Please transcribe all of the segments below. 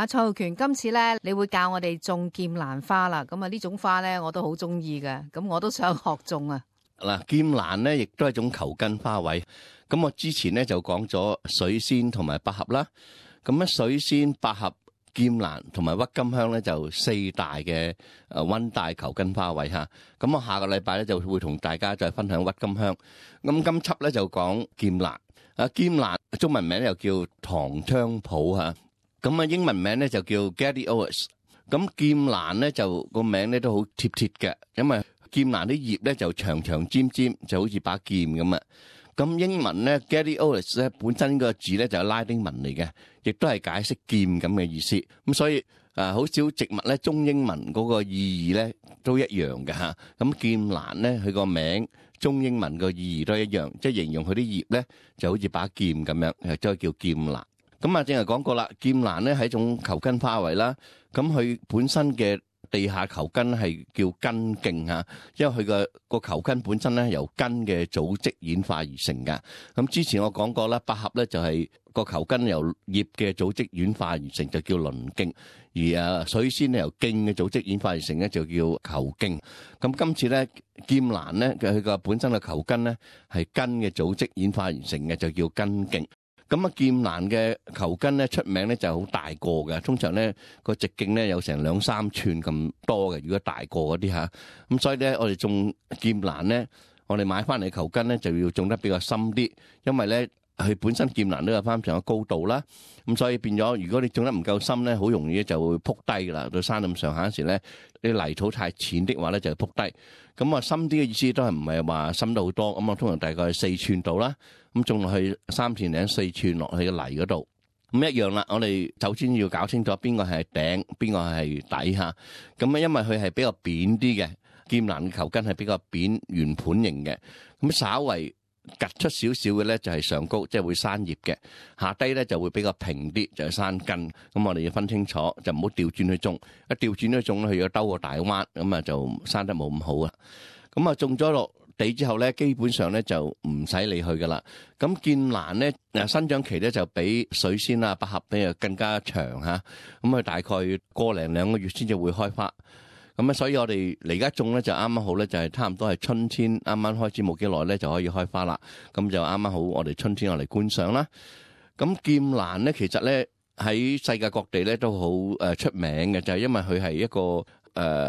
蔡浩權，今次咧你會教我哋種劍蘭花啦。咁啊呢種花咧我都好中意嘅，咁我都想學種啊。嗱，劍蘭咧亦都係一種球根花卉。咁我之前咧就講咗水仙同埋百合啦。咁咧水仙、百合、劍蘭同埋鬱金香咧就四大嘅溫帶球根花卉嚇。咁我下個禮拜咧就會同大家再分享鬱金香。咁今輯咧就講劍蘭。劍蘭中文名又叫唐菖蒲嚇。咁英文名咧就叫 Gladiolus。咁劍蘭咧就個名咧都好貼貼嘅，因為劍蘭啲葉咧就長長尖尖，就好似把劍咁啊。咁英文咧 Gladiolus 咧本身個字咧就係拉丁文嚟嘅，亦都係解釋劍咁嘅意思。咁所以好少植物咧中英文嗰個意義咧都一樣嘅嚇。咁劍蘭咧佢個名中英文個意義都一樣，即係形容佢啲葉咧就好似把劍咁樣，就叫劍蘭。咁正係講過啦，劍蘭咧係一種球根花卉啦。咁佢本身嘅地下球根係叫根莖嚇，因為佢個球根本身咧由根嘅組織演化而成㗎。咁之前我講過啦，百合咧就係個球根由葉嘅組織演化而成，就叫輪莖；而水仙咧由莖嘅組織演化而成咧，就叫球莖。咁今次咧劍蘭咧佢個本身嘅球根咧係根嘅組織演化而成嘅，就叫根莖。咁劍蘭嘅球根咧出名咧就好大個嘅，通常咧個直徑咧有成2-3寸咁多嘅。如果大個嗰啲嚇，咁所以咧我哋種劍蘭咧，我哋買翻嚟球根咧就要種得比較深啲，因為咧佢本身劍蘭都有翻上嘅高度啦。咁所以變咗，如果你種得唔夠深咧，好容易就會撲低㗎啦。到山咁上下時咧，啲泥土太淺的話咧就撲低。咁深啲嘅意思都係唔係話深得好多。咁通常大概係4寸度啦。咁種落去3寸零4寸落去嘅泥嗰度，咁一樣啦。我哋首先要搞清楚邊個係頂，邊個係底下。咁因為佢係比較扁啲嘅，劍蘭嘅球根係比較扁圓盤形嘅。咁稍為突出少少嘅咧就係上高，即係會生葉嘅。下低咧就會比較平啲，就係生根。咁我哋要分清楚，就唔好調轉去種。一調轉去種咧，佢要兜個大彎，咁就生得冇咁好啊。咁種咗落地之後咧，基本上咧就唔使理佢噶啦。咁劍蘭咧生長期咧就比水仙啊、百合咧更加長嚇。咁佢大概個零2個月先至會開花。咁所以我哋嚟而家種咧就啱啱好咧，就係差唔多係春天啱啱開始冇幾耐咧就可以開花啦。咁就啱啱好我哋春天我嚟觀賞啦。咁劍蘭咧其實咧喺世界各地咧都好出名嘅，就係因為佢係一個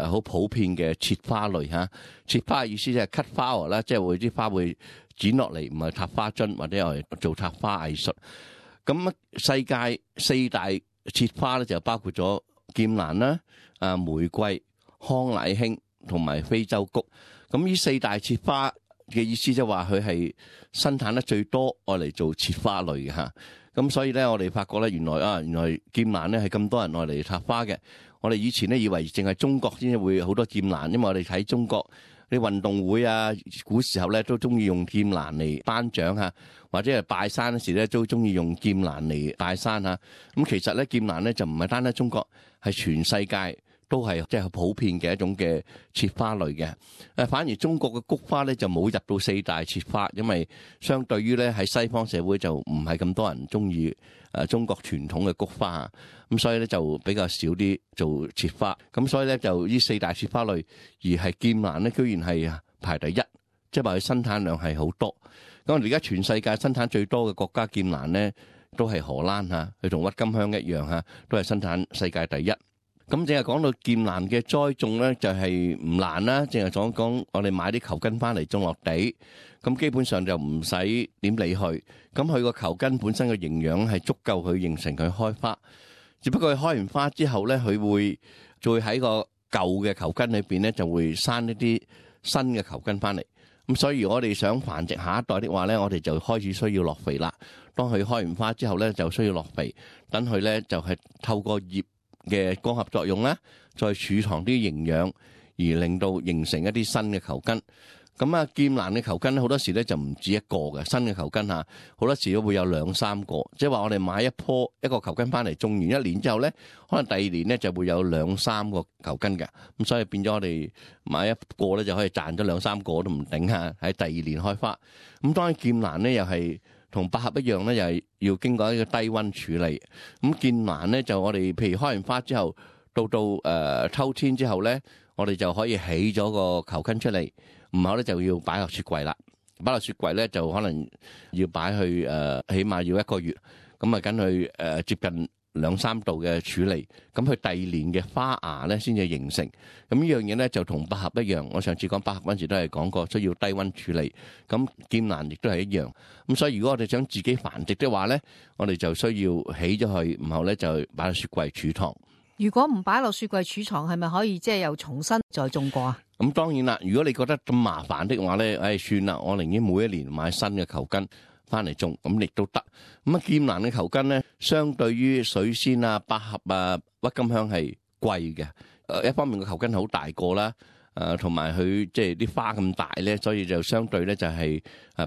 好普遍嘅切花類嚇。切花嘅意思即係 cut flower 啦，即係會啲花會剪落嚟，唔係插花樽或者係做插花藝術。咁世界4大切花咧就包括咗劍蘭啦、玫瑰、康乃馨同埋非洲菊。咁呢4大切花嘅意思即係話佢係生產得最多愛嚟做切花類嘅嚇。咁所以咧我哋發覺咧原來劍蘭咧係咁多人愛嚟插花嘅。我哋以前咧以為淨係中國先至會好多劍蘭，因為我哋睇中國啲運動會啊，古時候咧都中意用劍蘭嚟頒獎嚇，或者係拜山嗰時咧都中意用劍蘭嚟拜山嚇。咁其實咧劍蘭咧就唔係單單中國，係全世界都係即係普遍嘅一種嘅切花類嘅。反而中國嘅菊花咧就冇入到4大切花，因為相對於咧喺西方社會就唔係咁多人中意中國傳統嘅菊花，咁所以咧就比較少啲做切花。咁所以咧就呢4大切花類，而係劍蘭咧居然係排第1，即係話佢生產量係好多。咁我哋而家全世界生產最多嘅國家劍蘭咧都係荷蘭嚇，佢同鬱金香一樣嚇，都係生產世界第1。咁淨係講到劍蘭嘅栽種咧，就係唔難啦。淨係講我哋買啲球根翻嚟種落地，咁基本上就唔使點理佢。咁佢個球根本身嘅營養係足夠佢形成佢開花。只不過佢開完花之後咧，佢會再喺個舊嘅球根裏邊咧，就會生一啲新嘅球根翻嚟。咁所以如果我哋想繁殖下一代的話咧，我哋就開始需要落肥啦。當佢開完花之後咧，就需要落肥，等佢咧就係透過葉嘅光合作用咧，再儲藏啲營養，而令到形成一啲新嘅球根。咁劍蘭嘅球根好多時咧就唔止一個嘅新嘅球根嚇，好多時都會有2-3個。即係話我哋買一個球根翻嚟，種完1年之後咧，可能第2年咧就會有2-3個球根嘅。咁所以變咗我哋買一個咧就可以賺咗2-3個都唔頂嚇，喺第2年開花。咁當然劍蘭咧又係同百合一樣咧，又係要經過一個低溫處理。咁劍蘭咧就我哋譬如開完花之後，到秋天之後咧，我哋就可以起咗個球根出嚟，唔好咧就要擺落雪櫃啦。擺落雪櫃咧就可能要擺去起碼要1個月，咁啊跟佢接近2-3度嘅處理，咁佢第二年嘅花芽咧先至形成。咁呢樣嘢咧就同百合一樣，我上次講百合嗰陣時都係講過需要低溫處理，咁劍蘭亦都係一樣。咁所以如果我哋想自己繁殖的話咧，我哋就需要起咗佢，然後咧就擺落雪櫃儲藏。如果唔擺落雪櫃儲藏，係咪可以即係又重新再種過啊？咁當然啦，如果你覺得咁麻煩的話咧，算啦，我寧願每一年買新嘅球根翻嚟種，咁亦都得。咁啊，劍蘭嘅球根咧，相對於水仙啊、百合啊、鬱金香係貴嘅。一方面個球根好大個啦，同埋佢即係啲花咁大咧，所以就相對咧就係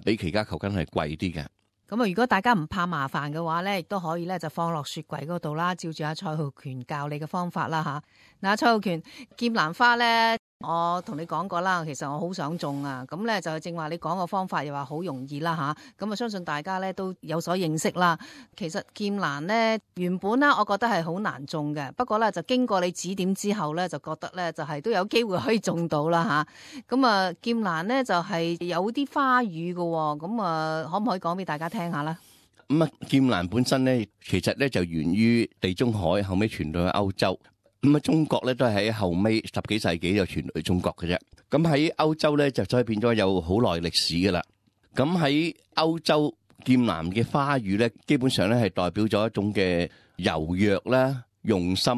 比其他球根係貴啲嘅。咁啊，如果大家唔怕麻煩嘅話咧，亦都可以咧就放落雪櫃嗰度啦，照住阿蔡浩權教你嘅方法啦吓。嗱，蔡浩權，劍蘭花咧，我同你講過啦，其實我好想種啊。咁咧就正話你講個方法又話好容易啦吓。咁啊，相信大家咧都有所認識啦。其實劍蘭咧原本咧，我覺得係好難種嘅。不過咧就經過你指點之後咧，就覺得咧就係都有機會可以種到啦吓。咁啊，劍蘭咧就係有啲花語嘅。咁啊，可唔可以講俾大家聽下咧？咁啊，劍蘭本身咧，其實咧就源於地中海，後尾傳到去歐洲。咁啊，中國咧都係喺後尾10幾世紀就傳到去中國嘅啫。咁喺歐洲咧就所以變咗有好耐歷史噶啦。咁喺歐洲劍蘭嘅花語咧，基本上咧係代表咗一種嘅柔弱啦、用心。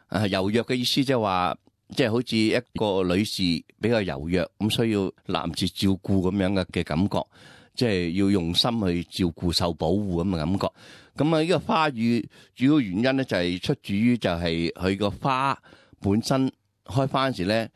柔弱嘅意思即係話，即係好似一個女士比較柔弱，咁需要男士照顧咁樣嘅感覺。即係要用心去照顧、受保護咁嘅感覺。咁啊，呢個花語主要原因咧就係出自於就係佢個花本身開花嗰時咧，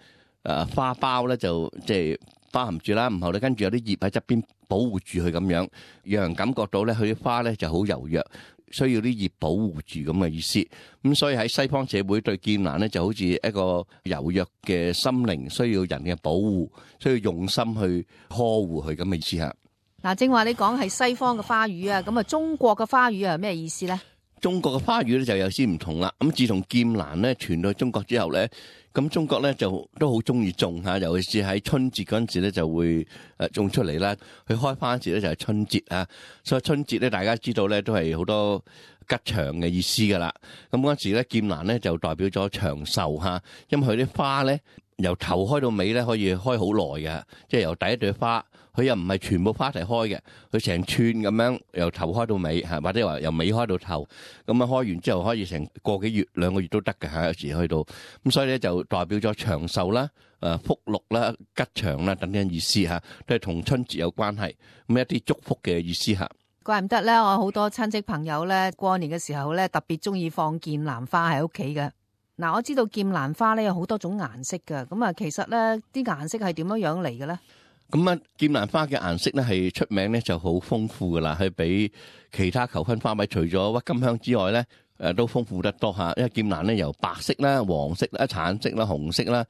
花苞咧就即係包含住啦，然後咧跟住有啲葉喺側邊保護住佢咁樣，讓人感覺到咧佢啲花咧就好柔弱，需要啲葉保護住咁嘅意思。咁所以喺西方社會對劍蘭咧就好似一個柔弱嘅心靈，需要人嘅保護，需要用心去呵護佢咁嘅意思嚇。嗱，正話你講係西方嘅花語啊，咁啊中國嘅花語係咩意思咧？中國嘅花語咧就有啲唔同啦。咁自從劍蘭咧傳到中國之後咧，咁中國咧就都好中意種嚇，尤其是喺春節嗰陣時咧就會種出嚟啦。佢開花嗰時咧就係春節啊，所以春節咧大家知道咧都係好多吉祥嘅意思噶啦。咁嗰陣時咧劍蘭咧就代表咗長壽嚇，因為佢啲花咧由頭開到尾咧可以開好耐嘅，即係由第一朵花。佢又唔係全部花一齊開嘅，佢成串咁樣由頭開到尾嚇，或者話由尾開到頭，咁啊開完之後可以成個幾月、2個月都得嘅嚇，有時去到咁，所以咧就代表咗長壽啦、福祿啦、吉祥啦等等意思嚇，都係同春節有關係，咁一啲祝福嘅意思嚇。怪唔得咧，我好多親戚朋友咧過年嘅時候咧特別中意放劍蘭花喺屋企嘅。嗱，我知道劍蘭花咧有好多種顏色嘅，咁啊其實咧啲顏色係點樣嚟嘅咧？咁啊，劍蘭花嘅顏色咧係出名咧就好豐富噶啦，係比其他球根花卉除咗鬱金香之外咧，都豐富得多嚇。因為劍蘭咧由白色啦、黃色啦、橙色啦、紅色啦、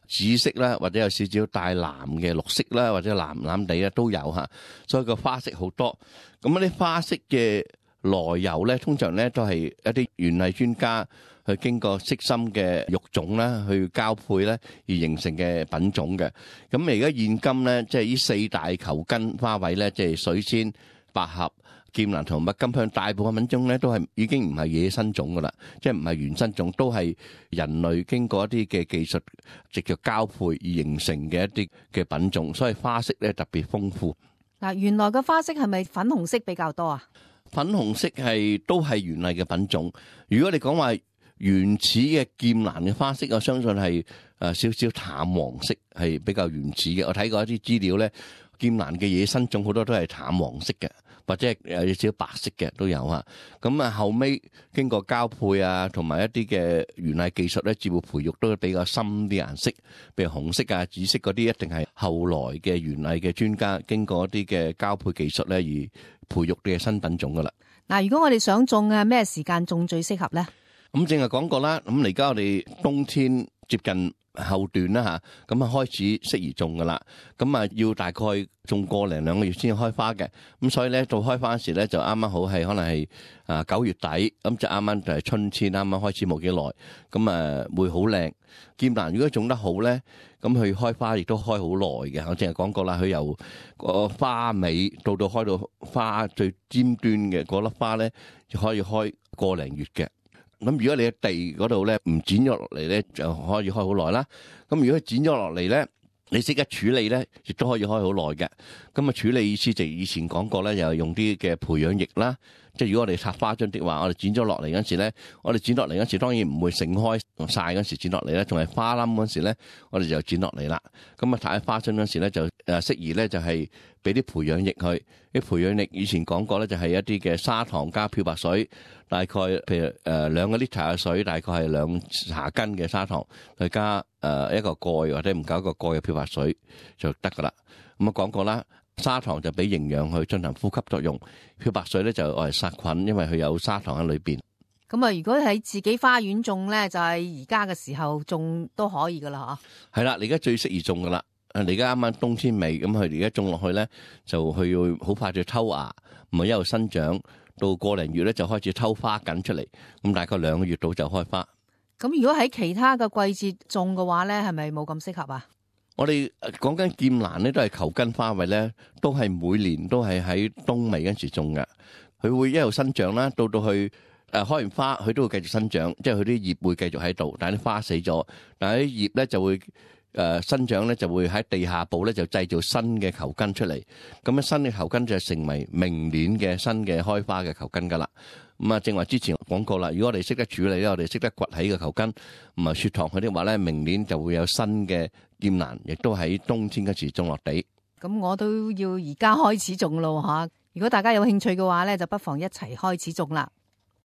紫色啦，或者有少少帶藍嘅綠色啦，或者藍藍地啦都有嚇。所以個花色好多。咁啲花色嘅來由咧，通常咧都係一啲園藝專家去經過悉心嘅育種啦，去交配咧而形成嘅品種嘅。咁而家現今咧，即係呢4大球根花卉咧，即係水仙、百合、劍蘭同鬱金香，大部分品種咧都係已經唔係野生種噶啦，即係唔係原生種，都係人類經過一啲嘅技術藉著交配而形成嘅一啲嘅品種，所以花色咧特別豐富。嗱，原來嘅花色係咪粉紅色比較多啊？粉紅色都係原嚟嘅品種。如果你講話原始嘅劍蘭嘅花色，我相信係少少淡黃色，係比較原始嘅。我睇過一啲資料咧，劍蘭嘅野生種好多都係淡黃色嘅，或者係有少少白色嘅都有啊。咁啊後尾經過交配啊，同埋一啲嘅園藝技術咧，照顧培育都比較深啲顏色，譬如紅色啊、紫色嗰啲，一定係後來嘅園藝嘅專家經過一啲嘅交配技術咧而培育嘅新品種噶啦。嗱，如果我哋想種啊，咩時間種最適合咧？咁正係講過啦，咁而家我哋冬天接近後段啦嚇，咁啊開始適宜種噶啦。咁啊要大概種個零兩個月先開花嘅。咁所以咧到開花時咧就啱啱好係可能係9月底，咁就啱啱就係春天啱啱開始冇幾耐，咁會好靚。劍蘭如果種得好咧，咁佢開花亦都開好耐嘅。我淨係講過啦，佢由個花尾到開到花最尖端嘅嗰粒花咧，就可以開個零月嘅。咁如果你喺地嗰度咧唔剪咗落嚟咧，就可以開好耐啦。咁如果剪咗落嚟咧，你識得處理咧，亦都可以開好耐嘅。咁啊處理意思就以前講過咧，又係用啲嘅培養液啦。即係如果我哋插花樽的話，我哋剪咗落嚟嗰時咧，我哋剪落嚟嗰時當然唔會盛開晒嗰時剪落嚟咧，仲係花冧嗰時咧，我哋就剪落嚟啦。咁啊，睇花樽嗰時咧就適宜咧就係俾啲培養液去。啲培養液以前講過咧，就係一啲嘅砂糖加漂白水，大概譬如2個 liter 嘅水，大概係2茶羹嘅砂糖，再加一個蓋或者唔夠一個蓋嘅漂白水就得噶啦。咁啊講過啦。砂糖就俾營養去進行呼吸作用，漂白水咧就愛嚟殺菌，因為佢有砂糖喺裏邊。咁啊，如果喺自己花園種咧，就係而家嘅時候種都可以噶啦，係啦，你而家最適宜種噶啦。你而家啱啱冬天尾，咁佢而家種落去咧，就佢要好快就抽芽，唔係一路生長，到個零月咧就開始抽花緊出嚟，咁大概2個月到就開花。咁如果喺其他嘅季節種嘅話咧，係咪冇咁適合啊？我哋講緊劍蘭咧，都係球根花卉咧，都係每年都係喺冬尾嗰時種嘅。佢會一路生長啦，到去開完花，佢都會繼續生長，即係佢啲葉會繼續喺度，但係啲花死咗，但係啲葉咧就會生長咧，就會喺地下部咧就製造新嘅球根出嚟。咁樣新嘅球根就成為明年嘅新嘅開花嘅球根噶啦。咁啊，正話之前講過啦，如果我哋識得處理咧，我哋識得掘起嘅球根，唔係雪糖佢啲話咧，明年就會有新嘅劍蘭，亦都喺冬天嗰時種落地。咁我都要而家開始種咯吓，如果大家有興趣嘅話咧，就不妨一齊開始種啦。